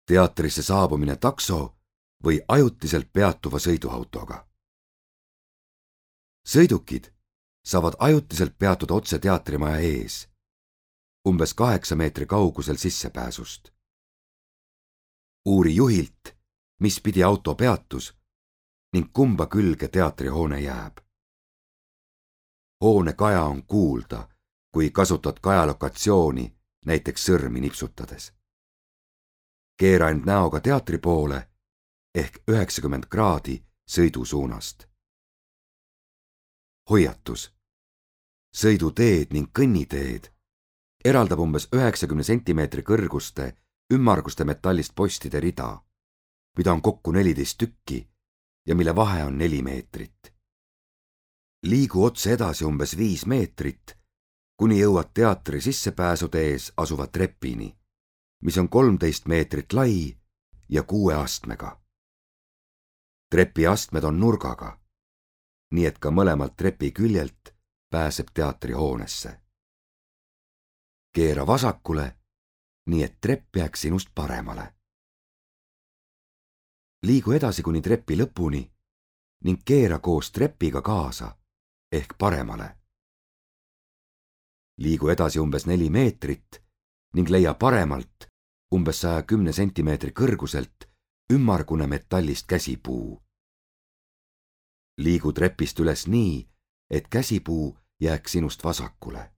teatrisse saabumine takso või ajutiselt peatuva sõiduautoga. Sõidukid saavad ajutiselt peatuda otse teatrimaja ees, umbes 8 meetri kaugusel sissepääsust. Uuri juhilt, mis pidi auto peatus ning kumba külge teatrihoone jääb. Hoone kaja on kuulda, kui kasutad kajalokatsiooni, näiteks sõrmi nipsutades. Keera end näoga teatri poole ehk 90 kraadi sõidusuunast. Hoiatus. Sõiduteed ning kõnniteed eraldab umbes 90 sentimeetri kõrguste ümmarguste metallist postide rida, mida on kokku 14 tükki ja mille vahe on 4 meetrit. Liigu otse edasi umbes 5 meetrit, kuni jõuad teatri sissepääsude ees asuva trepini, mis on 13 meetrit lai ja 6 astmega. Trepi astmed on nurgaga, nii et ka mõlemalt trepi küljelt pääseb teatrihoonesse. Keera vasakule, nii et trepp jääks sinust paremale. Liigu edasi kuni trepi lõpuni ning keera koos trepiga kaasa ehk paremale. Liigu edasi umbes 4 meetrit ning leia paremalt umbes 110 sentimeetri kõrguselt ümmargune metallist käsipuu. Liigu trepist üles nii, et käsipuu jääks sinust vasakule.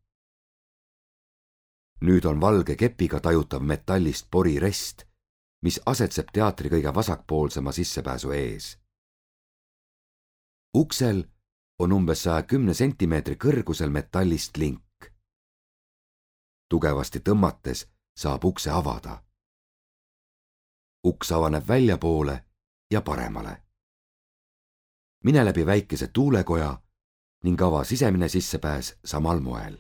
Nüüd on valge kepiga tajutav metallist porirest, mis asetseb teatri kõige vasakpoolsema sissepääsu ees. Uksel on umbes 110 sentimeetri kõrgusel metallist link. Tugevasti tõmmates saab ukse avada. Uks avaneb väljapoole ja paremale. Mine läbi väikese tuulekoja ning ava sisemine sissepääs samal moel.